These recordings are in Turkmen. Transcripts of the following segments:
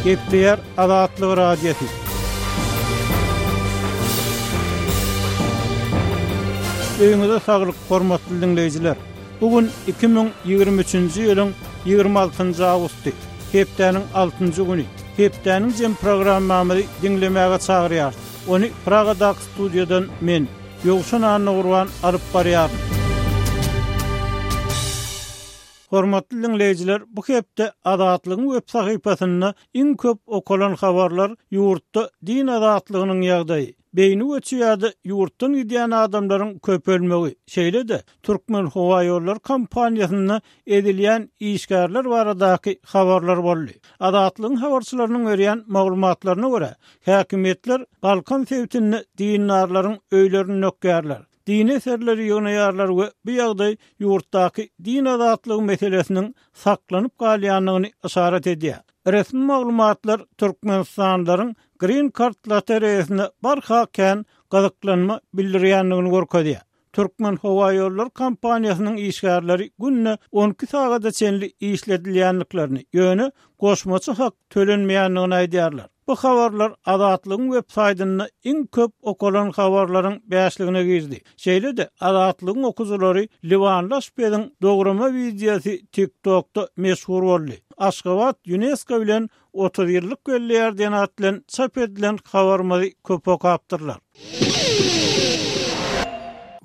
Gepleýär Azatlyk Radiosy. Öýüňize saglyk, hormatly diňleýjiler! Bu gün 2023-nji ýylyň 26-njy awgusty, hepdäniň altynjy güni. Hepdäniň jem programmamyzy diňlemäge çagyrýarys. Ony Pragadaky studiýadan men, Ýowşan Annagurban alyp barýaryn. Hormatly diňleýjiler, bu hepde Azatlygyň web sahypasynda iň köp okalan habarlar ýurtda din azatlygynyň ýagdaýy, beýni göçi ýa-da ýurtdan gidýän adamlaryň köpelmegi, şeýle-de Türkmenhowaýollary kompaniýasynda ezilýän işgärler baradaky habarlar boldy. Azatlygyň habarçylarynyň berýän maglumatlaryna görä, häkimiýetler Balkan sebitinde dindarlaryň öýlerini dökýärler. Dini eserleri ýygnaýarlar we bu ýagdaý ýurtdaky din azatlygy meselesiniň saklanyp galýandygyny yşarat edýär. Resmi maglumatlar türkmenistanlylaryň Green Card lotereýasyna barha kän gyzyklanma bildirýändigini görkezýär. Türkmenhowaýollary kompaniýasynyň işgärleri günde 12 sagada çenli işledilýändiklerini, ýöne goşmaça hak tölenmeýändigini aýdýarlar. Bu habarlar Azatlygyň web saýtynda iň köp okalan habarlaryň bäşligine girdi. Şeýle-de, Azatlygyň okyjylary liwanly aşpeziň dograma wideosy TikTok-da meşhur boldy. Aşgabat Ýunesko bilen 30 ýyllyk belleýär diýen at bilen çap edilen habarymyzy köp okapdyrlar.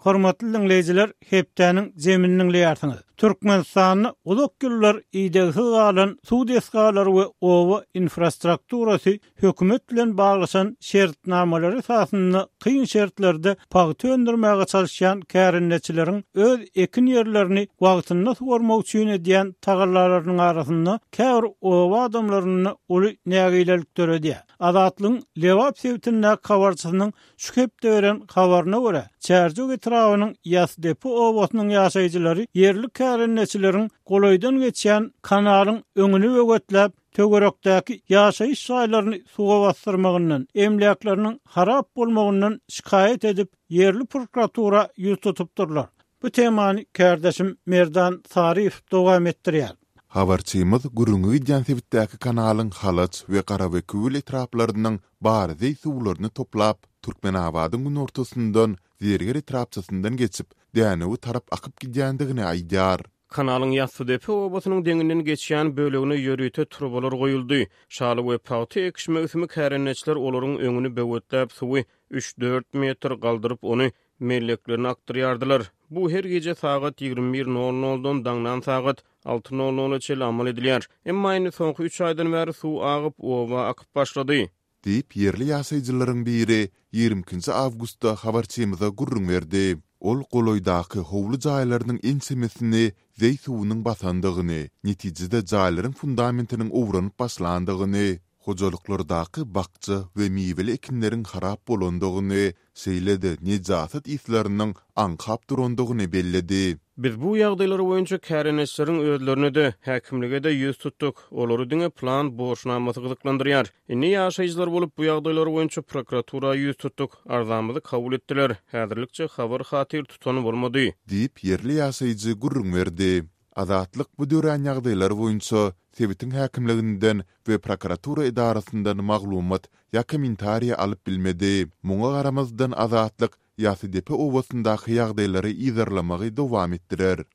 Hormatly diňleýjiler, hepdäniň jemini diňleýärsiňiz. Türkmenistanda uzak ýyllar idegsiz galan suw desgalary we oba infrastrukturasy hökümet bilen baglaşan şertnamalary esasynda kyn şertlerde pagta öndürmäge çalyşýan kärendeçileriň öz ekin ýerlerini wagtynda suwarmak üçin edýän tagallalarynyň arasynda käbir oba adamlarynda uly nägilelik döredýär. Azatlygyň Lebap sebitindäki habarçysynyň Şu hepde beren habaryna görä, Çärjew etrabynyň Ýasdepe obasynyň ýaşaýjylary ýerli kärendeçileriň golaýdan geçýän kanalyň öňüni böwetläp, töwerekdäki ýaşaýyş jaýlaryny suwa basdyrmagyndan, emläkleriniň harap bolmagyndan şikaýat edip, ýerli prokuratura ýüz tutupdyrlar. Bu temany kärdeşim Merdan Saryýew dowam etdirýär. Habarçymyz gürrüňi gidýän sebitdäki kanalyň Halaç we Garabekewül etraplarynyň bar zeý suwlaryny toplap, Türkmenabadyň günortasyndan, Zerger etrapçasyndan geçip, Dänewe tarap akyp gidýändigini aýdýar. Kanalyň Ýassydepe obasynyň deňinden geçýän bölegine ýörite turbalar goýuldy. Şaly we pagta ekiş möwsümi kärendeçiler olaryň öňüni böwetläp, suwy üç-dört metr galdyryp, ony melleklerine akdyrýardylar. Bu her gije sagat 21 nol noldan daňdan sagat alty nol nola çenli amal edilýär. Emma indi soňky üç aýdan bäri suw agyp, oba akyp başlady. Diýip, ýerli ýaşaýjylaryň biri 22 nji awgustda habarçymyza gürrüň berdi. Ol golaýdaky howly jaýlarynyň ençemesini zeý suwunyň basandygyny, netijede jaýlaryň fundamentiniň owranyp başlandygyny, hojalyklardaky bakja we miweli ekinleriň harap bolandygyny, şeýle-de nejasat yslarynyň aňkap durandygyny belledi. Biz bu ýagdaýlar boýunça kärendeçileriň özlerine-de, häkimlige-de ýüz tutduk. Olary diňe plan borçnamasy gyzyklandyrýar. Indi ýaşaýjylar bolup bu ýagdaýlar boýunça prokuratura ýüz tutduk. Arzamyzy kabul etdiler. Häzirlikçe habar-hatyr tutan bolmady. Diýip, ýerli ýaşaýjy gürrüň berdi. Azatlyk bu dörän ýagdaýlar boýunça sebitiň häkimliginden we prokuratura edarasyndan maglumat ýa kommentariý alyp bilmedi. Muňa garamazdan Azatlyk Ýasydepe obasyndaky ýagdaýlary yzarlamagy dowam etdirer.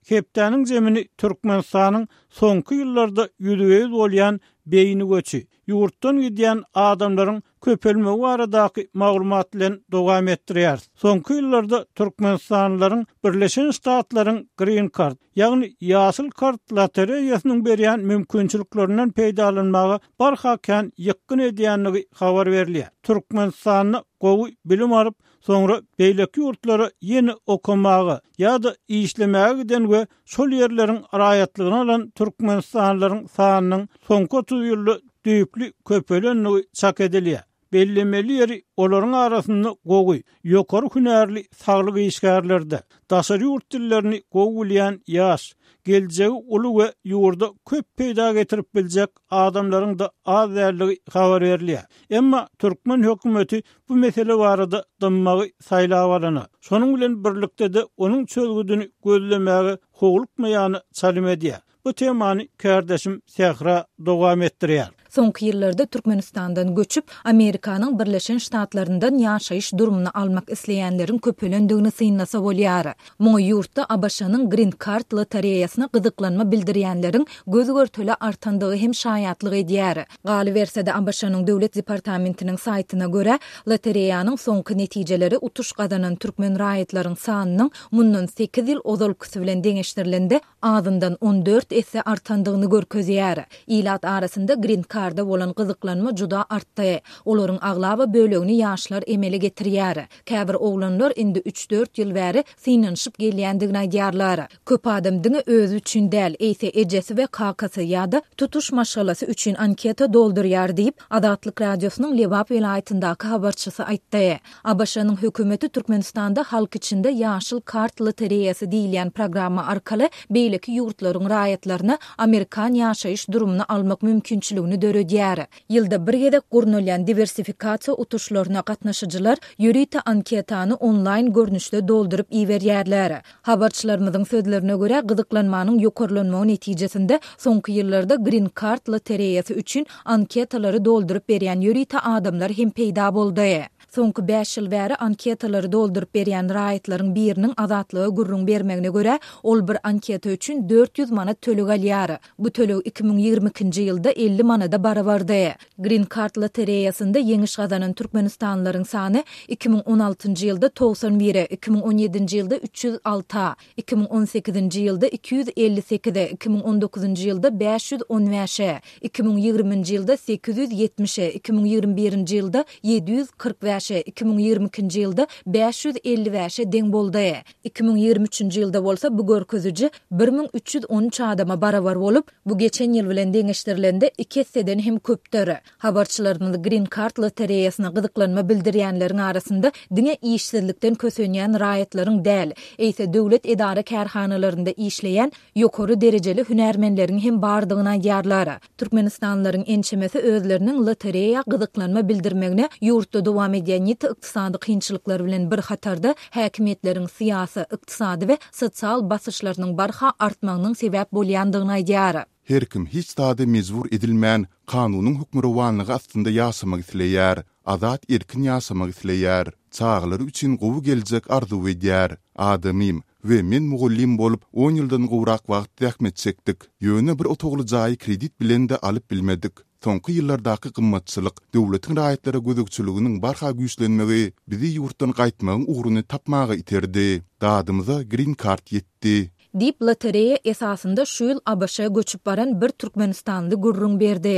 Hepdäniň zemini Türkmenistanyň soňky ýyllarda ýüzbe-ýüz bolýan beýni göçi, ýurtdan gidýän adamlaryň köpelmegi baradaky maglumat bilen dowam etdirýäris. Soňky ýyllarda türkmenistanlylaryň Birleşen Ştatlaryň Green Card, ýagny ýaşyl kart lotereýasynyň berýän mümkinçiliklerinden peýdalanmaga barha kän ýykgyn edýändigi habar berilýär. Türkmenistanda gowy bilim alyp, soňra beýleki ýurtlara ýene okamaga ýa-da işlemäge giden we şol ýerleriň raýatlygyny alan türkmenistanlylaryň sanynyň soňky 30 ýylda düýpli köpelendigi çak edilýär. Bellemeli ýeri, olaryň arasynda gowy, ýokary hünärli saglyk işgärleri-de, daşary ýurt dillerini gowy bilýän ýaş, geljegi uly we ýurda köp peýda getirip biljek adamlaryň-da az däldigi habar berilýär. Emma türkmen hökümeti bu mesele barada dymmagy saýlap alana, şonuň bilen birlikde-de onuň çözgüdini gözlemäge howlukmaýana çalym edýär. Bu temany kärdeşim Sähra dowam etdirýär. Soňky ýyllarda Türkmenistandan göçüp, Amerikanyň Birleşen Ştatlaryndan ýaşaýyş durumyny almak isleýänleriň köpelendigini synlasa bolýar. Muňa ýurtda ABŞ-nyň Green Card lotereýasyna gyzyklanma bildirýänleriň göz-görtele artandygy hem şaýatlyk edýär. Galyberse-de, ABŞ-nyň Döwlet departamentiniň saýtyna görä, lotereýanyň soňky netijeleri utuş gazanan türkmen raýatlaryň sanynyň mundan sekiz ýyl ozalkysy bilen deňeşdirilende azyndan 14 esse artandygyny görkezýär. Ilat arasynda Green Card-a bolan gyzyklanma juda artdy. Olaryň aglaba bölegini ýaşlar emele getirýär. Käbir oglanlar indi üç-dört ýyl bäri synanyşyp gelýändigini aýdýarlar. Köp adam diňe özi üçin däl, eýse ejesi we kakasy ýa-da tutuş maşgalasy üçin anketa doldurýar diýip, Azatlyk Radiosynyň Lebap welaýatyndaky habarçysy aýtdy. ABŞ-nyň hökümeti Türkmenistanda halk içinde Ýaşyl kart lotereýasy diýilýän programma arkaly beýleki ýurtlaryň raýatlaryna amerikan ýaşaýyş durumyny almak mümkinçiligini döredýär. Ýylda bir gezek gurnalýan diwersifikasiýa utuşlaryna gatnaşyjylar ýörite anketany onlaýn görnüşde dolduryp iberýärler. Habarçylarymyzyň sözlerine görä, gyzyklanmanyň ýokarlanmagy netijesinde soňky ýyllarda Green Card lotereýasy üçin anketalary dolduryp berýän ýörite adamlar hem peýda boldy. Soňky bäş ýyl bäri anketalary dolduryp berýän raýatlaryň biriniň Azatlyga gürrüň bermegine görä, ol bir anketa üçin 400 manat töleg alýar. Bu töleg 2022-nji ýylda 50 manada barabardy. Green Card lotereýasynda ýeňiş gazanan türkmenistanlylaryň sany 2016-njy ýylda 91-e, 2017-nji ýylda 306-a, 2018-nji ýylda 258-e, 2019-njy ýylda 515-e, 2020-nji ýylda 870-e, 2021-nji ýylda 745-e, 2022-nji ýylda 555-e deň boldy. 2023-nji ýylda bolsa bu görkeziji 1313 adama barabar bolup, Bu geçen ýyl bilen deňeşdirilende iki esseden hem köpdür. Habarçylarymyz Green Card lotereýasyna gyzyklanma bildirýänleriň arasynda diňe işsizlikden kösenýän raýatlaryň däl, eýse döwlet edara-kärhanalarynda işleýän ýokary derejeli hünärmenleriň hem bardygyny aýdýarlar. Türkmenistanlylaryň ençemesi özleriniň lotereýa gyzyklanma bildirmegine ýurtda dowam edýän ýiti ykdysady kynçylyklar bilen bir hatarda häkimiýetleriň syýasy, ykdysady we sosial basyşlarynyň barha artmagynyň sebäp bolýandygyny aýdýar. Her kim hiç zada mejbur edilmän, kanunyň hökmürowanlygy astynda ýaşamak isleýär. Azat-erkin ýaşamak isleýär. Çagalary üçin gowy geljek arzuw edýär. Adamym we men mugallym bolup, on ýyldan gowrak wagt zähmet çekdik. Ýöne bir otagly jaýy kredit bilen-de alyp bilmedik. Soňky ýyllardaky gymmatçylyk, döwletiň raýatlara gözegçiliginiň barha güýçlenmegi bizi ýurtdan gaýtmagyň ugruny tapmaga iterdi. Dadymyza Green Card ýetdi. Diýip, lotereýa esasynda şu ýyl ABŞ-a göçüp baran bir türkmenistanly gürrüň berdi.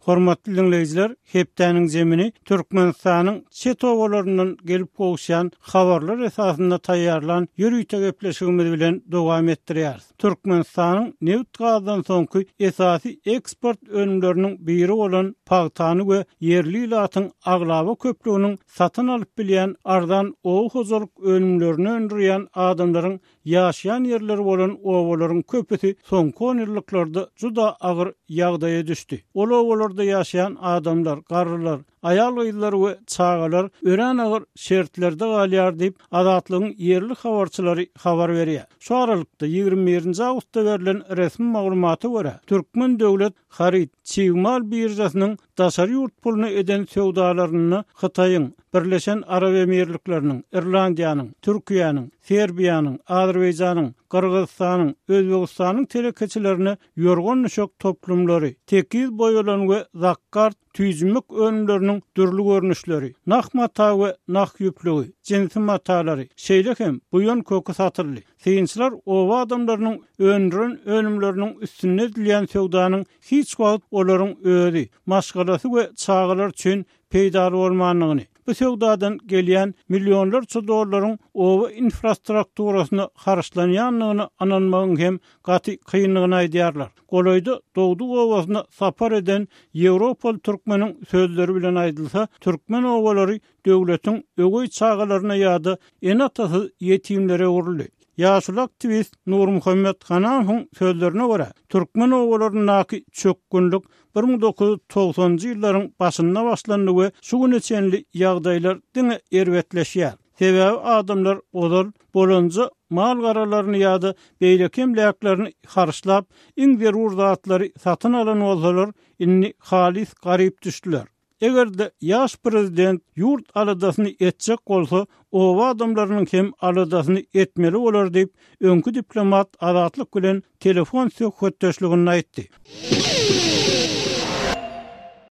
Hormatly diňleýjiler, hepdäniň jemini Türkmenistanyň çet obalaryndan gelip gowuşýan habarlar esasynda taýýarlan ýörite gepleşigimiz bilen dowam etdirýäris. Türkmenistanyň nebit-gazdan soňky esasy eksport önümleriniň biri bolan pagtany we ýerli ilatyň aglaba köplüginiň satyn alyp bilýän arzan oba hojalyk önümlerini öndürýän adamlaryň ýaşaýan ýerleri bolan obalaryň köpüsi soňky onýyllyklarda juda agyr ýagdaýa düşdi. Ol obalarda ýaşaýan adamlar, garrylar, Aýal-gyzlar we çagalar örän agyr şertlerde galýar diýip, Azatlygyň ýerli habarçylary habar berýär. Şu aralykda, 21 nji awgustda berlen resmi maglumata görä, Türkmen döwlet haryt, çig mal biržasynyň daşary ýurt puluna eden söwdalarynda Hytaýyň, Birleşen Arap Emirlikleriniň, Irlandiýanyň, Türkiýäniň, Serbiýanyň, Azerbaýjanyň, Gyrgyzystanyň, Özbegistanyň telekeçilerine ýorgan-düşek toplumlary, tekiz boýalan we zakgart tüýjümek önümleriniň dürli görnüşleri, nah mata we nah ýüplügi, jinsi matalary, şeýle hem buýan köki satyldy. Synçylar oba adamlarynyň öndüren önümleriniň üstünde edilýän söwdanyň hiç wagt olaryň özi, maşgalasy we çagalary üçin peýdaly bolmandygyny, bu söwdadan gelýän millionlarça dollaryň oba infrastrukturasyna harçlanýandygyna ynanmagyň hem gaty kyndygyny aýdýarlar. Golaýda dogduk obasyna sapar eden ýewropaly türkmeniň sözleri bilen aýdylsa, türkmen obalary döwletiň öweý çagalaryna ýa-da ene-atasyz ýetimlere öwrüldi. Ýaşuly aktiwist Nurmuhammet Hanamowyň sözlerine görä, türkmen obalaryndaky çökgünlik 1990-njy ýyllaryň başynda başlandy we şu güne çenli ýagdaýlar diňe erbetleşýär. Sebäbi adamlar ozal bolanja mal-garalaryny ýa-da beýleki emläklerini harçlap, iň zerur zatlary satyn alan bolsalar, indi halys garyp düşdüler. Eger-de ýaş prezident ýurt aladasyny etjek bolsa, oba adamlarynyň hem aladasyny etmeli bolar diýip, öňki diplomat Azatlyk bilen telefon söhbetdeşliginde aýtdy.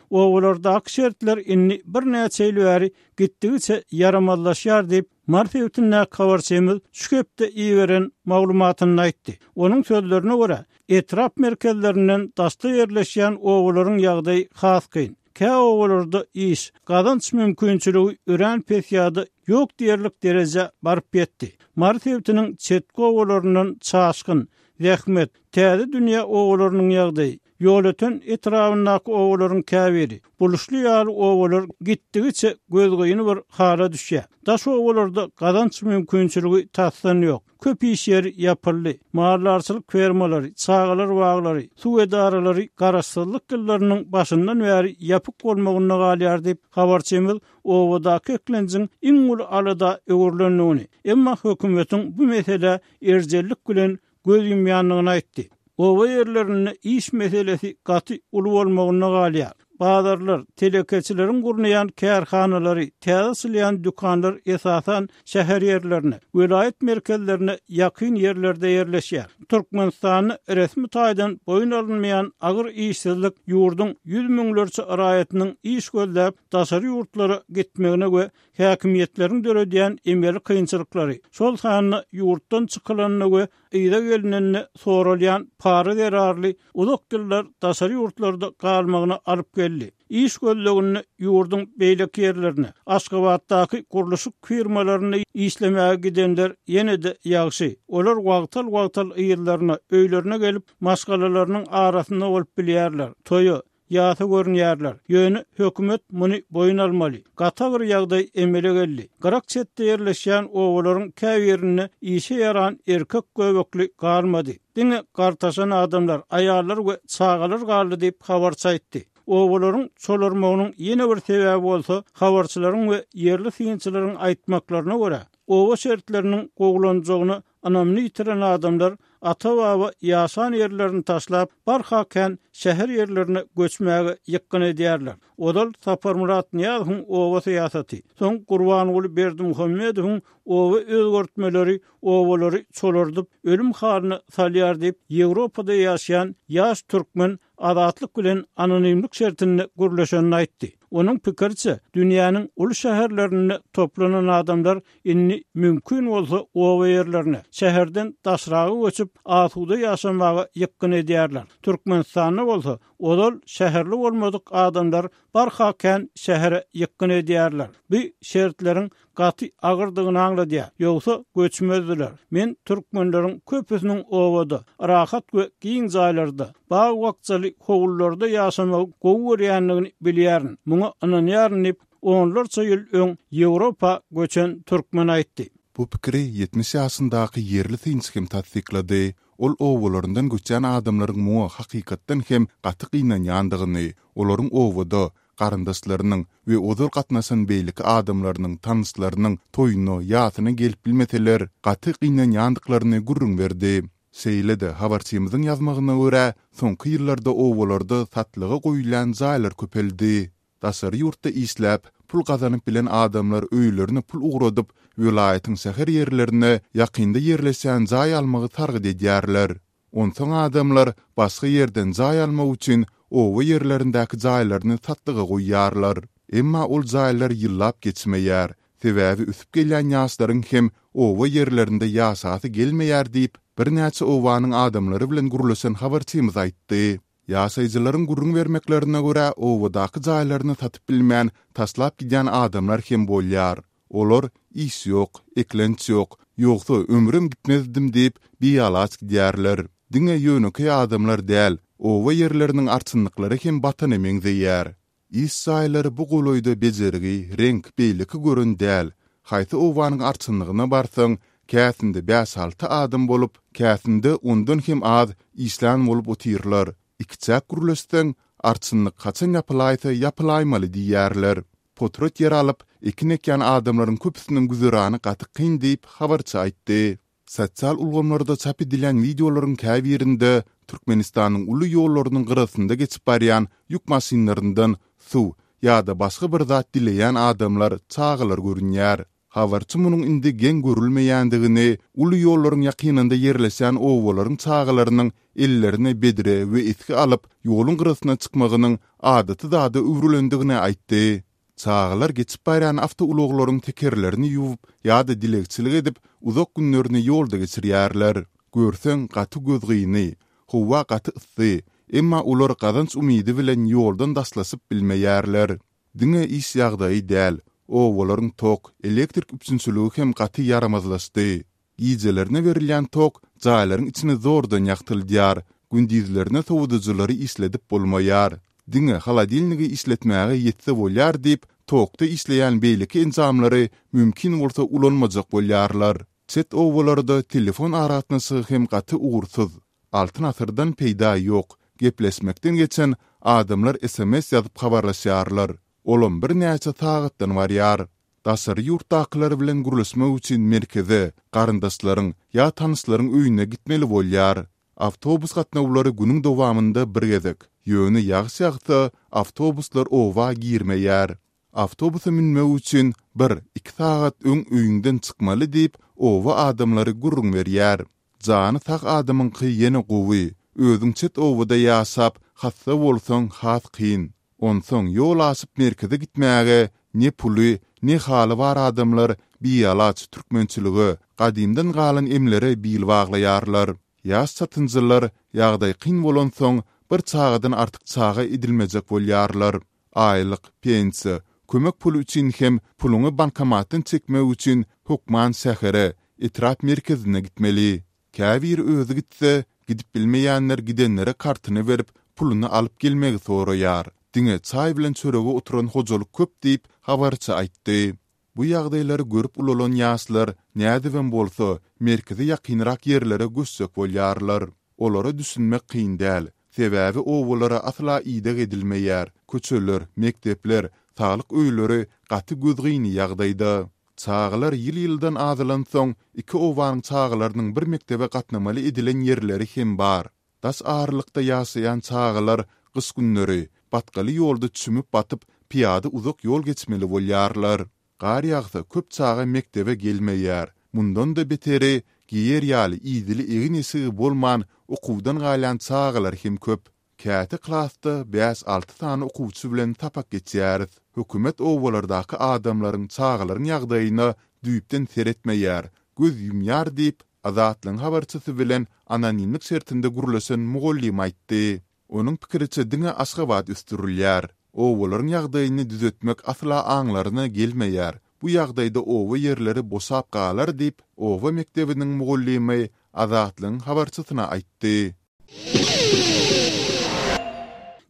Obalardaky şertler indi birnäçe ýyl bäri gitdigiçe ýaramazlaşýar diýip, Mary sebitindäki habarçymyz şu hepde iberen maglumatynda aýtdy. Onuň sözlerine görä, etrap merkezlerinden daşda ýerleşýän obalaryň ýagdaýy has kyn. Kä obalarda iş, gazanç mümkinçiligi örän pes ýa-da ýok diýerlik derejä baryp ýetdi. Mary sebitiniň çetki obalaryndan Çaşgyn, Zähmet, Täze dünýä obalarynyň ýagdaýy, Ýolöten etrabyndaky obalaryň käbiri, Buluşly ýaly obalar gitdigiçe gözgyny bir hala düşýär. Daş obalarda gazanç mümkinçiligi tasdan ýok. Köp iş ýeri ýapyldy. Maldarçylyk fermalary, çagalar baglary, suw edaralary garaşsyzlyk ýyllarynyň başyndan bäri ýapyk bolmagynda galýar diýip, habarçymyz obadaky eklenjiň iň uly alada öwrülendigini, emma hökümetiň bu meselä erjellik bilen göz ýumýandygyny aýtdy. Oba ýerlerinde iş meselesi gaty uly bolmagynda galýar. Bazarlar, telekeçileriň gurnaýan kärhanalary, täze açylýan dükanlar esasan şäher ýerlerine, welaýat merkezlerine ýakyn ýerlerde ýerleşýär. Türkmenistanda resmi taýdan boýun alynmaýan agyr işsizlik ýurduň ýüz müňlerçe raýatynyň iş gözläp daşary ýurtlara gitmegine we Häkimiýetleriň döredýän emeli kynçylyklary, şol sanda ýurtdan çykylanda we yza gelinende soralýan para zerarly uzak ýyllar daşary ýurtlarda galmagyna alyp geldi. Iş gözleginde ýurduň beýleki ýerlerine, Aşgabatdaky gurluşyk firmalarynda işlemäge gidenler ýene-de ýagşy. Olar wagtal-wagtal yzlaryna, öýlerine gelip, maşgalalarynyň arasynda bolup bilýärler, toýa, Ýasa görünýärler. Ýöne hökümet muny boýun almaly. Gaty agyr ýagdaý emele geldi. Gyrak çetde ýerleşýän obalaryň käbirinde işe ýaran erkek göbekli galmady. Diňe gartaşan adamlar, aýallar we çagalar galdy diýip, habarçy aýtdy. Obalaryň çolarmagynyň ýene bir sebäbi bolsa, habarçylaryň we ýerli synçylaryň aýtmaklaryna görä, oba şertleriniň gowulanjagyna Ynamyny ýitiren adamlar ata-baba ýaşan ýerlerini taşlap, barha kän şäher ýerlerine göçmäge ýykgyn edýärler. Ozal Saparmyrat Nyýazowyň oba syýasaty, soň Gurbanguly Berdimuhamedowyň oba özgertmeleri obalary çolardyp, ölüm halyna salýar diýip, Ýewropada ýaşaýan ýaş türkmen Azatlyk bilen anonimlik şertinde gürleşenini aýtdy. Onuň pikiriçe, dünýäniň uly şäherlerinde toplanan adamlar indi mümkin bolsa oba ýerlerine, şäherden daşraga göçüp, asuda ýaşamaga ýykgyn edýärler. Türkmenistanda bolsa, ozal şäherli bolmadyk adamlar barha kän şähere ýykgyn edýärler. Bu şertleriň gaty agyrdygyny aňladýar. Ýogsa göçmezdiler. Men türkmenleriň köpüsiniň obada, rahat we giň jaýlarda, bag-bakjaly howlularda ýaşamagy gowy görýändigini bilýärin, muňa ynanýaryn diýip, onlarça ýyl öň Ýewropa göçen türkmen aýtdy. Bu pikiri 70 ýaşyndaky ýerli synçy hem tassyklady. Ol obalaryndan göçýän adamlaryň muňa hakykatdan hem gaty gynanýandygyny, olaryň obada, garyndaşlarynyň we ozal gatnaşan beýleki adamlarynyň, tanyşlarynyň toýuna, ýasyna gelip bilmeseler, gaty gynanýandyklaryny gürrüň berdi. Şeýle-de, habarçymyzyň ýazmagyna görä, soňky ýyllarda obalarda satlyga goýulýan jaýlar köpeldi. Daşary ýurtda işläp, pul gazanyp bilen adamlar öýlerine pul ugradyp, welaýatyň şäher ýerlerine ýakynda ýerleşýän jaý almagy sargyt edýärler. Onsoň adamlar başga ýerden jaý almak üçin oba ýerlerindäki jaýlaryny satlyga goýýarlar. Emma ol jaýlar ýyllap geçmeýär. Sebäbi ösüp gelýän ýaşlaryň hem oba ýerlerinde ýaşasy gelmeýär diýip, birnäçe obanyň adamlary bilen gürleşen habarçymyz aýtdy. Ýaşaýjylaryň gürrüň bermeklerine görä, obadaky jaýlaryny satyp bilmän, taşlap gidýän adamlar hem bolýar. Olar, Iş ýok, eklenç ýok, ýogsa ömrüm gitmezdim diýip, bialaç gidýärler. Diňe ýönekeý adamlar däl, oba ýerleriniň arçynlyklary hem batana meňzeýär. Iş jaýlary bu golaýda bejergi, reňk, beýleki gören däl. Haýsy obanyň arçynlygyna barsaň, käsinde bäş-alty adam bolup, käsinde ondan hem az işlän bolup otyrlar. Ikiçäk gürleşseň, arçynlyk haçan ýapylaýsa ýapylaýmaly diýýärler. Potrat ýer alyp, ekin ekýän adamlaryň köpüsiniň güzerany gaty kyn diýip, habarçy aýtdy. Sosial ulgamlarda çap edilýän wideolaryň käbirinde Türkmenistanyň uly ýollarynyň gyrasynda geçip barýan ýük maşynlaryndan suw ýa-da başga bir zat dileýän adamlar, çagalar görünýär. Habarçy munuň indi geň görülmeýändigini, uly ýollaryň ýakynynda ýerleşýän obalaryň çagalarynyň ellerine bedre we esgi alyp, ýoluň gyrasyna çykmagynyň adaty zada öwrülendigini aýtdy. Çagalar geçip barýan awtoulaglaryň tekerlerini ýuwup ýa-da dilegçilik edip, uzak günlerini ýolda geçirýärler. Görseň, gaty gözgyny. Howa gaty yssy, emma olar gazanç umydy bilen ýoldan daşlaşyp bilmeýärler. Diňe iş ýagdaýy däl, obalaryň tok, elektrik üpjünçiligi hem gaty ýaramazlaşdy. Gijelerine berilýän tok jaýlaryň içini zordan ýagtyldýar, gündizlerine sowadyjylary işledip bolmaýar. Diňe holodilnigi işletmäge ýetse bolýar diýip, tokda işleýän beýleki enjamlary mümkin bolsa ulanmajak bolýarlar. Çet obalarda telefon aragatnaşygy hem gaty ugursyz. Altyn asyrdan peýda ýok, gepleşmekden geçen adamlar sms ýazyp habarlaşýarlar. Olam birnäçe sagatdan barýar. Daşary ýurtdakylar bilen gürleşmek üçin merkeze, garyndaşlaryň ýa tanyşlaryň öýüne gitmeli bolýar. Awtobus gatnawlary günüň dowamynda bir gezek, ýöne ýagyş ýagsa, awtobuslar oba girmeýär. Awtobusa münmek üçin bir, iki sagat öň öýüňden çykmaly diýip, oba adamlary gürrüň berýär. Jany sag adamyňky ýene gowy, özüň çet obada ýaşap, hassa bolsaň has kyn. Onsoň ýol aşyp merkeze gitmäge ne puly, ne haly bar adamlar bialaç türkmençilige, gadymdan galan emlere bil baglaýarlar. Ýaş çatynjylar ýagdaý kyn bolansoň bir çagadan artyk çaga edinmejek bolýarlar. Aýlyk, pensiýa, kömek puly üçin hem puluňy bankomatdan çekmek üçin hökman şähere, etrap merkezine gitmeli. Käbiri özi gitse, gidip bilmeýänler gidenlere kartyny berip, puluny alyp gelmegi soraýar. Diňe çaý bilen çörege oturan hojalyk köp diýip, habarçy aýtdy. Bu ýagdaýlary görüp ulalan ýaşlar nädibem bolsa, merkeze ýakynrak ýerlere göçjek bolýarlar. Olara düşünmek kyn däl. Sebäbi obalara asla ideg edilmeýär, köçeler, mekdepler, saglyk öýleri gaty gözgyny ýagdaýda. Çagalar ýyl-ýyldan azalansoň, iki obanyň çagalarynyň bir mekdebe gatnamaly edilen ýerleri hem bar. Daş aralykda ýaşaýan çagalar gyş günleri batgaly ýolda çümüp-batyp, pyýada uzak ýol geçmeli bolýarlar. Gar ýagsa köp çaga mekdebe gelmeýär. Mundan-da beteri, geýer ýaly idili egin-eşigi bolman okuwdan galýan çagalar hem köp. Käte klasda bäş-alty sany okuwçy bilen sapak geçýäris. Hökümet obalardaky adamlaryň, çagalaryň ýagdaýyna düýpden seretmeýär, göz ýumýar diýip, Azatlygyň habarçysy bilen anonimlik şertinde gürleşen mugallym aýtdy. Onuň pikiriçe diňe Aşgabat ösdürilýär. Obalaryň ýagdaýyny düzetmek asla aňlaryna gelmeýär. Bu ýagdaýda oba ýerleri boşap galar diýip, oba mekdebiniň mugallymy Azatlygyň habarçysyna aýtdy.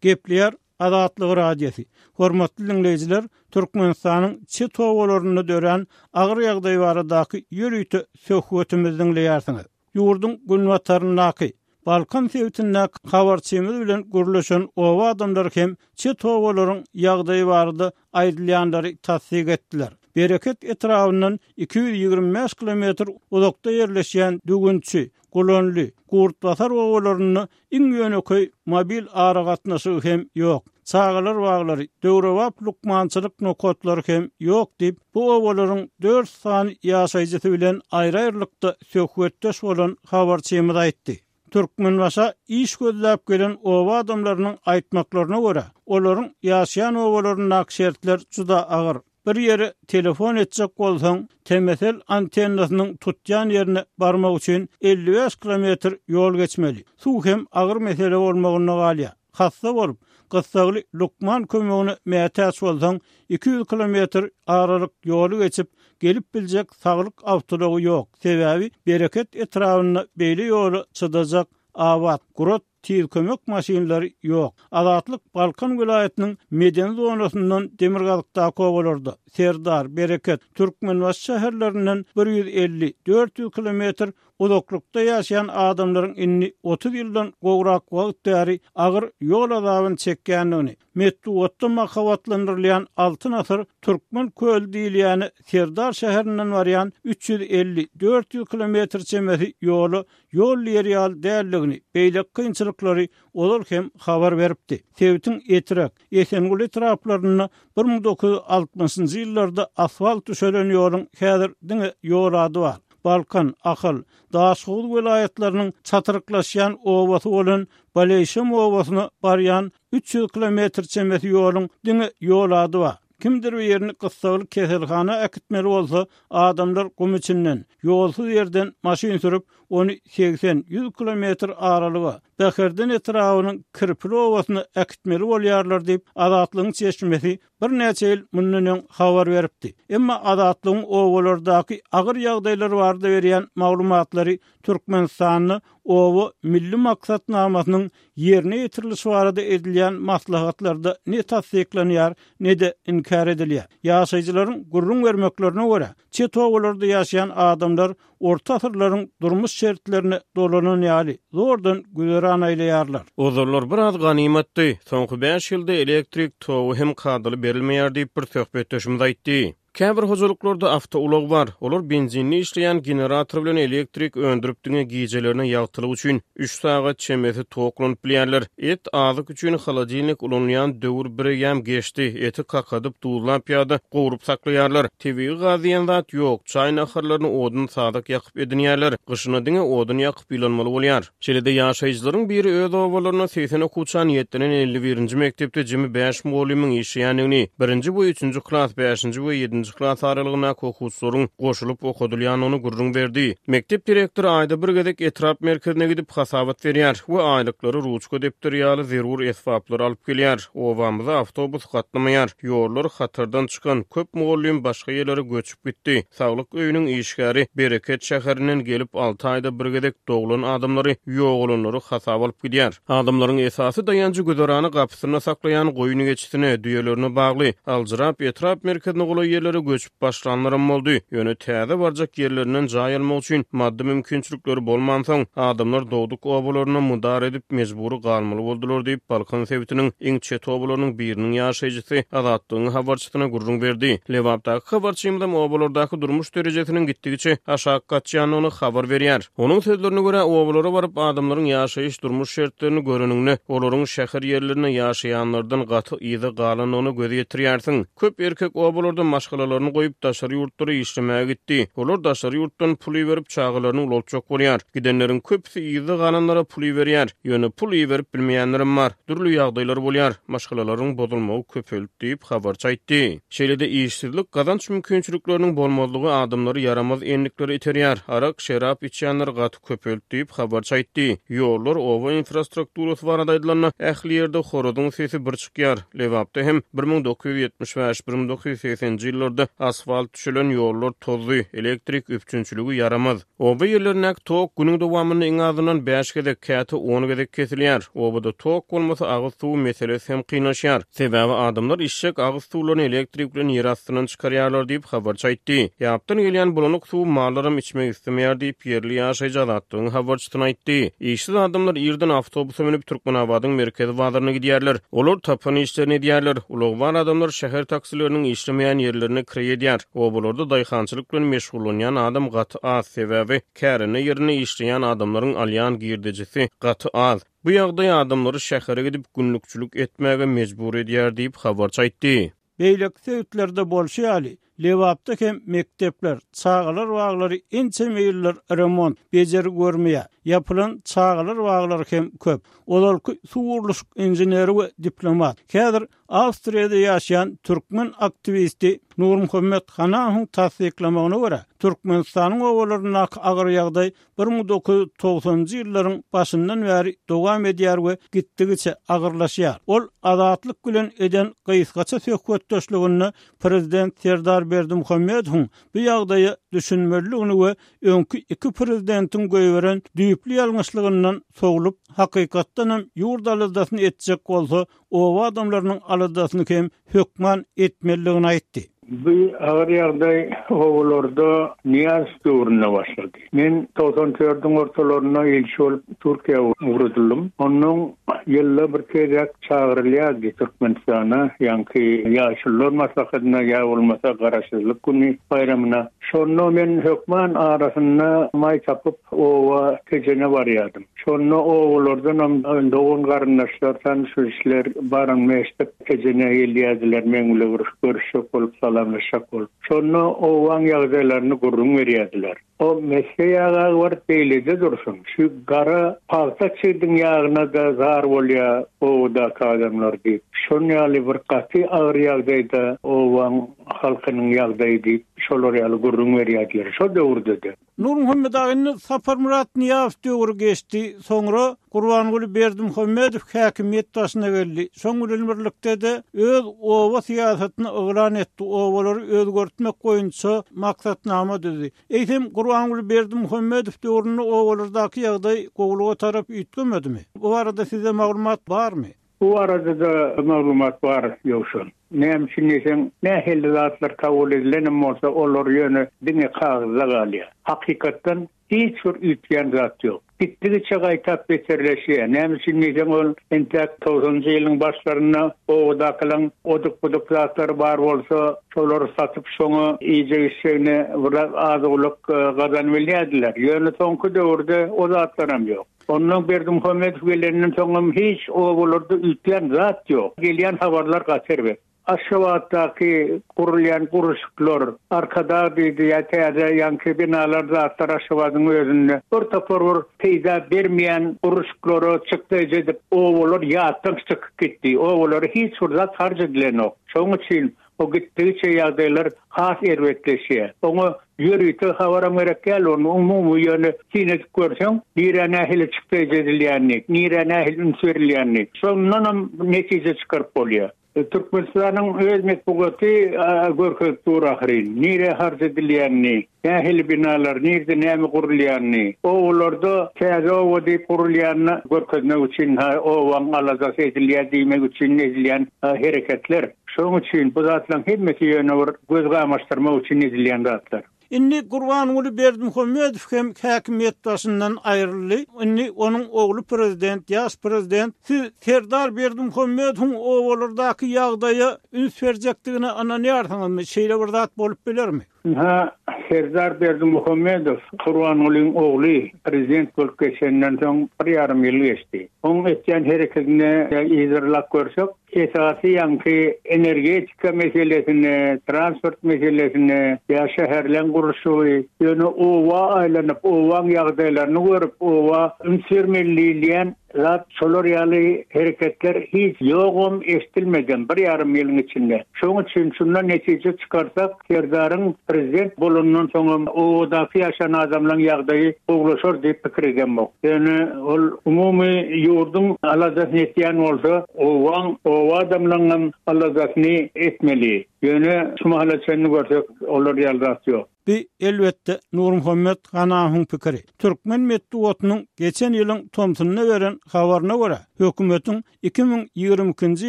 Gepleýär Azatlyk Radiosy, Hormatly diňleýjiler, Türkmenistanyň çet obalarynda dörän agyr ýagdaý baradaky ýörite söhbetimizi diňleýärsiňiz. Ýurduň günbataryndaky, Balkan sebitindäki habarçymyz bilen gürleşen oba adamlary hem çet obalaryň ýagdaýy barada aýdylýanlary tassyk etdiler. Bereket etrabyndan 225 kilometr uzakda ýerleşýän Düwünçi, Gulanly, Gurtbasar obalarynda iň ýönekeý mobil aragatnaşygy hem ýok. Çagalar baglary, döwrebap lukmançylyk nokatlary hem ýok diýip, bu obalaryň dört sany ýaşaýjysy bilen aýry-aýrylykda söhbetdeş bolan habarçymyz aýtdy. Türkmenbaşa iş gözläp gelen oba adamlarynyň aýtmaklaryna görä, olaryň ýaşaýan obalaryndaky şertler juda agyr. Bir ýere telefon etjek bolsaň, TMSL antennasynyň tutýan ýerine barmak üçin 55 kilometr ýol geçmeli. Suw hem agyr mesele bolmagynda galýar. Hassa bolup, gyssagly lukman kömegine mätäç bolsaň, 200 kilometr aralyk ýoly geçip, gelip biljek saglyk awtoulagy ýok. Sebäbi Bereket etrabynda beýle ýola çydajak abat, gurat Tiz kömek maşynlary ýok. Azatlyk Balkan welaýatynyň medeni zonasyndan demirgazykdaky obalarda, Serdar, Bereket, Türkmenbaşy şäherlerinden 150, 400 kilometr uzaklykda ýaşaýan adamlaryň indi 30 ýyldan gowrak wagt bäri agyr ýol azabyny çekýändigini, Metbugatda mahabatlandyrylýan Altyn asyr Türkmen köli diýilýäne Serdar şäherinden barýan 350, 400 kilometr çemesi ýola ýol diýer ýaly däldigini, beýleki kynçylyklary ozal hem habar beripdi. Sebitiň Etrek, Esenguly etraplarynda 1960-njy ýyllarda asfalt düşelen ýoluň häzir diňe ýol ady bar. Balkan, Ahal, Daşhowuz welaýatlarynyň çatryklaşýan obasy bolan Baleýşem obasyna barýan 300 kilometr çemesi ýoluň diňe ýol ady bar. Kimdir birini gyssagly keselhana äkitmeli bolsa, adamlar gum içinden, ýolsuz ýerden maşyn sürüp, ony segsen, ýüz kilometr aralyga, Bäherden etrabynyň Kirpili obasyna äkitmeli bolýarlar diýip, Azatlygyň çeşmesi birnäçe ýyl mundan öň habar beripdi. Emma Azatlygyň obalardaky agyr ýagdaýlar barada berýän maglumatlary Türkmenistanda Oba milli maksatnamasynyň ýerine ýetirilişi barada edilýän maslahatlarda ne tassyklanýar, ne-de inkär edilýär. Ýaşaýjylaryň gürrüň bermeklerine görä, çet obalarda ýaşaýan adamlar orta asyrlaryň durmuş şertlerine dolanan ýaly, zordan güzeran aýlaýarlar. Ozallar biraz ganymatdy. Soňky bäş ýylda elektrik togy hem kadaly berilmeýär diýip, bir söhbetdeşimiz aýtdy. Käbir hojalyklarda awtoulag bar. Olar benzinli işleýän generator bilen elektrik öndürip diňe gijelerine ýagtylyk üçin üç sagat çemesi tok ulanyp bilýärler. Et azyk üçin holodilnik ulanylýan döwür bireýýäm geçdi. Eti kakadyp, duzlap ýa-da gowrup saklaýarlar. Tebigy gaz diýen zat ýok. Çaý naharlaryny odun sazak ýakyp edinýärler. Gyşyna diňe odun ýakyp ýylanmaly bolýar. Şeýle-de ýaşaýjylaryň biri öz obalarynda 80 okuwça niýetlenen 51-nji mekdepde jemi bäş mugallymyň işleýändigini, birinji we üçünji klas, bäşinji we ýedinji klas aralygyndaky okuwçylaryň goşulyp okadylýandygyny gürrüň berdi. Mekdep direktory aýda bir gezek etrap merkezine gidip hasabat berýär we aýlyklary, ruçka, depder ýaly zerur esbaplary alyp gelýär. Obamyza awtobus gatnamaýar, ýollar hatardan çykan, köp mugallym başga ýerlere göçüp gitdi. Saglyk öýüniň işgäri Bereket şäherinden gelip, alty aýda bir gezek doglan adamlary, ýogalanlary hasaba alyp gidýär. Adamlaryň esasy daýanjy güzerany gapysynda saklaýan goýun-geçisine, düýelerine bagly. Aljyrap, etrap merkezine golaý ýerlere göçüp başlanlaram boldy. Ýöne täze barjak ýerlerinden jaý almak üçin maddy mümkinçilikleri bolmansoň, adamlar dogduk obalarynda mydar edip, mejbury galmaly boldular diýip, Balkan sebitiniň iň çet obalarynyň biriniň ýaşaýjysy Azatlygyň habarçysyna gürrüň berdi. Lebapdaky habarçymyzam obalardaky durmuş derejesiniň gitdigiçe aşak gaçýandygyny habar berýär. Onuň sözlerine görä, obalara baryp, adamlaryň ýaşaýyş-durmuş şertlerini göreniňde, olaryň şäher ýerlerinde ýaşaýanlardan gaty yza galandygyna göz ýetirýärsiň. Köp erkek obalarda maşgalalaryny goýup, daşary ýurtlara işlemäge gitdi. Olar daşary ýurtdan pul iberip, çagalaryny ulaltjak bolýar. Gidenleriň köpüsi yzda galanlara pul iberýär. Ýöne pul iberip bilmeýänlerem bar. Dürli ýagdaýlar bolýar. Maşgalalaryň bozulmagy köpeldi diýip, habarçy aýtdy. Şeýle-de işsizlik, gazanç mümkinçilikleriniň bolmazlygy adamlary ýaramaz endiklere iterýär. Arak, şerap içýänler gaty köpeldi diýip, habarçy aýtdy. Ýollar, oba infrastrukturasy barada aýdylanda, ähli ýerde horazyň sesi bir çykýar. Lebapda hem 1975, 1980-nji ýyllarda asfalt düşelen ýollar tozdy, elektrik üpjünçiligi ýaramaz. Oba ýerlerindäki tok günüň dowamynda iň azyndan bäş gezek, käte on gezek kesilýär. Obada tok bolmasa, agyz suwy meselesi hem kynlaşýar. Sebäbi adamlar içjek agyz suwlaryny elektrik bilen ýer astyndan çykarýarlar diýip, habarçy aýtdy. Ýapdan gelýän bulanyk suwy mallaram içmek islemeýär diýip, ýerli ýaşaýjy Azatlygyň habarçysyna aýtdy. Işsiz adamlar irden awtobusa münüp, Türkmenabadyň merkezi bazaryna gidýärler. Olar tapan işlerini edýärler. Ulagy bar adamlar şäher taksileriniň işlemeýän ýerlerine kireý edýär. Obalarda daýhançylyk bilen meşgullanýan adam gaty az, sebäbi kärende ýerinde işleýän adamlaryň alýan girdejisi gaty az. Bu ýagdaý adamlary şähere gidip günlükçilik etmäge mejbur edýär diýip, habarçy aýtdy. Beýleki sebitlerde bolşy ýaly, Lebapda hem mekdepler, çagalar baglary ençeme ýyldyr remont, bejergi görmeýär. Ýapylan çagalar baglary hem köp. Ozalky suw gurluşyk inženeri we diplomat, häzir Awstriýada ýaşaýan türkmen aktiwisti Nurmuhammet Hanahowyň tassyklamagyna görä, Türkmenistanyň obalaryndaky agyr ýagdaý 1990-njy ýyllaryň başyndan bäri dowam edýär we gitdigiçe agyrlaşýar. Ol Azatlyk bilen eden gysgaça söhbetdeşliginde prezident Serdar Berdimuhamedowyň bu ýagdaýa düşünmelidigini we öňki iki prezidentiň goýberen düýpli ýalňyşlygyndan sowlup, hakykatdanam ýurt aladasyny etjek bolsa, oba adamlarynyň aladasyny hem hökman etmelidigini aýtdy. Bu agyr ýagdaý obalarda Nyýazow döwründe başlady. Men togsan dördüň ortalarynda ilçi bolup Türkiýä ugradyldym. Onnoň. ýylda bir gezek çagyrylýardy Türkmenistana, ýaňky Ýaşulular maslahatyna ýa bolmasa Garaşsyzlyk güni baýramyna. Şonda men hökman arasynda maý tapyp oba Tejene barýardym. Şonda obalardanam dogan-garyndaşlar, tanyş-bilişler baranymy eşidip Tejene gelýärdiler, meň bile bir görüşjek bolup, salamlaşjak bolup. Şonda obaň ýagdaýlaryny gürrüň berýärdiler. O mesge ýaga bir beýlede dursun, şu gara pagta çigdiň ýagyna-da zar bolýa obadaky adamlar diýip, şon ýaly bir gaty agyr ýagdaýda obaň halkynyň ýagdaýy diýip, şolar ýaly gürrüň berýärdiler şo döwürde-de. Nurmuhammet aga indi Saparmyrat Nyýazow döwri geçdi, soňra Gurbanguly Berdimuhamedow häkimiýet başyna geldi. Şoň bilen birlikde-de öz oba syýasatyny yglan etdi, obalary özgertmek boýunça maksatnama düzdi. Eýsem, Gurbanguly Berdimuhamedow döwründe obalardaky ýagdaý gowulyga tarap üýtgemedimi? Bu barada sizde maglumat barmy? Bu barada-da maglumat bar, Ýowşan. Näme üçin diýseň, nähili zatlar kabul edilenem bolsa, olar ýöne diňe kagyzda galýar. Hakykatdan Hiç bir üýtgän zat ýok. Gitdigiçe gaýtap beterleşýär. Näme üçin diýseň ol entäk togsanynjy ýylyň başlarynda obadakylaň oduk-buduk zatlary bar bolsa, şolary satyp şoňa iýjek-içjegine biraz az-owlak gazanybilýärdiler. Ýöne soňky döwürde o zatlaram ýok. Ondan Berdimuhamedow gelenden soňam hiç obalarda üýtgän zat ýok. Gelýän habarlar gaty erbet. Aşgabatdaky gurulýan gurluşyklar, Arkadag diýdi ýa täze ýaňky binalar zatlar Aşgabadyň özünde bir topar bir peýda bermeýän gurluşyklara çykdaýjy edip obalar ýatdan çykyp gitdi. Obalara hiç bir zat harç edilenok. Şonuň üçin o gitdigiçe ýagdaýlar has erbetleşýär. Oňa ýörite habaram gerek däl, ony umumy ýöne syn edip görseň, nirä nähili çykdaýjy edilýänini, nirä nähili üns berilýänini, şondanam netije çykaryp bolýar. Türkmenistanyň öz metbugaty görkezip dur ahyryn, nirä harç edilýänini, nähili binalar, nirde näme gurulýanyny. Obalarda täze oba diýip gurulýanyny görkezmek üçin, obaň aladasy edilýär diýmek üçin edilýän hereketler. Şonuň üçin bu zatlaryň hemmesi ýöne bir göz gamaşdyrmak üçin edilýän zatlar. Indi Gurbanguly Berdimuhamedow hem häkimiýet başyndan aýryldy. Indi onuň ogly prezident, ýaş prezident. Siz Serdar Berdimuhamedowyň obalardaky ýagdaýa üns berjekdigine ynanýarsyňyzmy? Şeýle bir zat bolup bilermi? Ynha, Serdar Berdimuhamedow, Gurbangulyň ogly prezident bolup geçeninden soň bir ýarym ýyl geçdi. Onuň etýän herekedini yzarlap görsek, Esasy ýaňky energetika meselesine, transport meselesine ýa şäherleň gurluşygy, ýöne oba aýlanyp, obaň ýagdaýlaryny görüp, oba üns bermeli diýilýän zat şolar ýaly hereketler hiç ýogam, eşdilmedem bir ýarym ýylyň içinde. Şoň üçin şundan netije çykarsak, Serdaryň prezident bolanyndan soňam obadaky ýaşan adamlaň ýagdaýy gowulaşar diýip pikir edemok. Ýöne ol umumy ýurduň aladasyny etýän bolsa, obaň, oba adamlaňam aladasyny etmeli. Ýöne şu mahala çenli görsek olar ýaly zat ýok. Bu, elbetde, Nurmuhammet Hanawyň pikiri. Türkmen metbugatynyň geçen ýylyň tomsunda beren habaryna görä, hökümetiň 2022-nji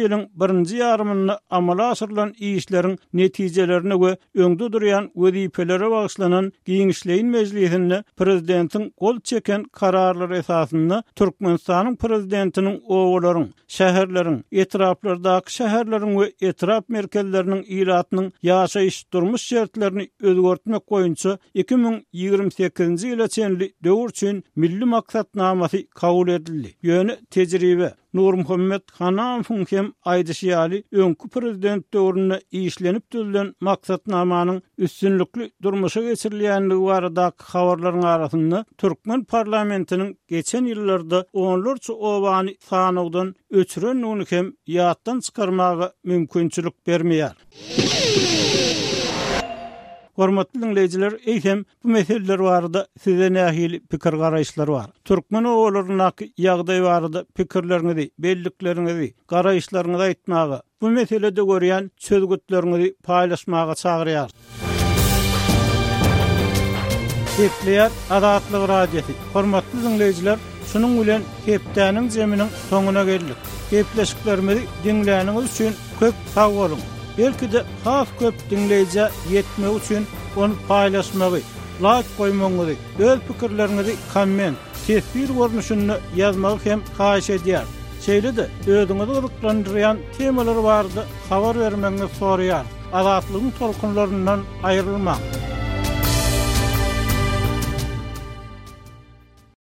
ýylyň birinji ýarymynda amala aşyrylan işleriň netijelerine we öňde durýan wezipelere bagyşlanan giňişleýin mejlisinde Prezidentiň gol çeken Kararlary esasynda Türkmenistanyň Prezidentiniň obalaryň, şäherleriň, etraplardaky şäherleriň we etrap merkezleriniň ilatynyň ýaşaýyş-durmuş şertlerini özgertmek boýunça 2028-nji ýyla çenli döwür üçin Milli maksatnamasy kabul edildi. Ýöne tejribe, Nurmuhammet Hanamowyň hem aýdyşy ýaly, öňki prezident döwründe işlenip düzülen maksatnamanyň üstünlikli durmuşa geçirilýändigi baradaky habarlaryň arasynda türkmen parlamentiniň geçen ýyllarda onlarça obany sanawdan öçürendigini hem ýatdan çykarmaga mümkinçilik bermeýär. Hormatly diňleýjiler, eýsem, bu meseleler barada sizde nähili pikir-garaýyşlar bar? Türkmen obalaryndaky ýagdaý barada pikirleriňizi, bellikleriňizi, garaýyşlaryňyzy aýtmaga, bu meselede görýän çözgütleriňizi paýlaşmaga çagyrýarys. Gepleýär Azatlyk Radiosy. Hormatly diňleýjiler, şunuň bilen hepdäniň jeminiň soňuna geldik. Gepleşiklerimizi diňläniňiz üçin köp sag boluň! Belki-de has köp diňleýjä ýetmegi üçin ony paýlaşmagy, laýk goýmagyňyzy, öz pikirleriňizi komment, teswir görnüşinde ýazmagy hem haýyş edýäris. Şeýle-de, özüňizi gyzyklandyrýan temalar barada habar bermegiňizi soraýarys. Azatlygyň tolkunlaryndan aýrylmaň!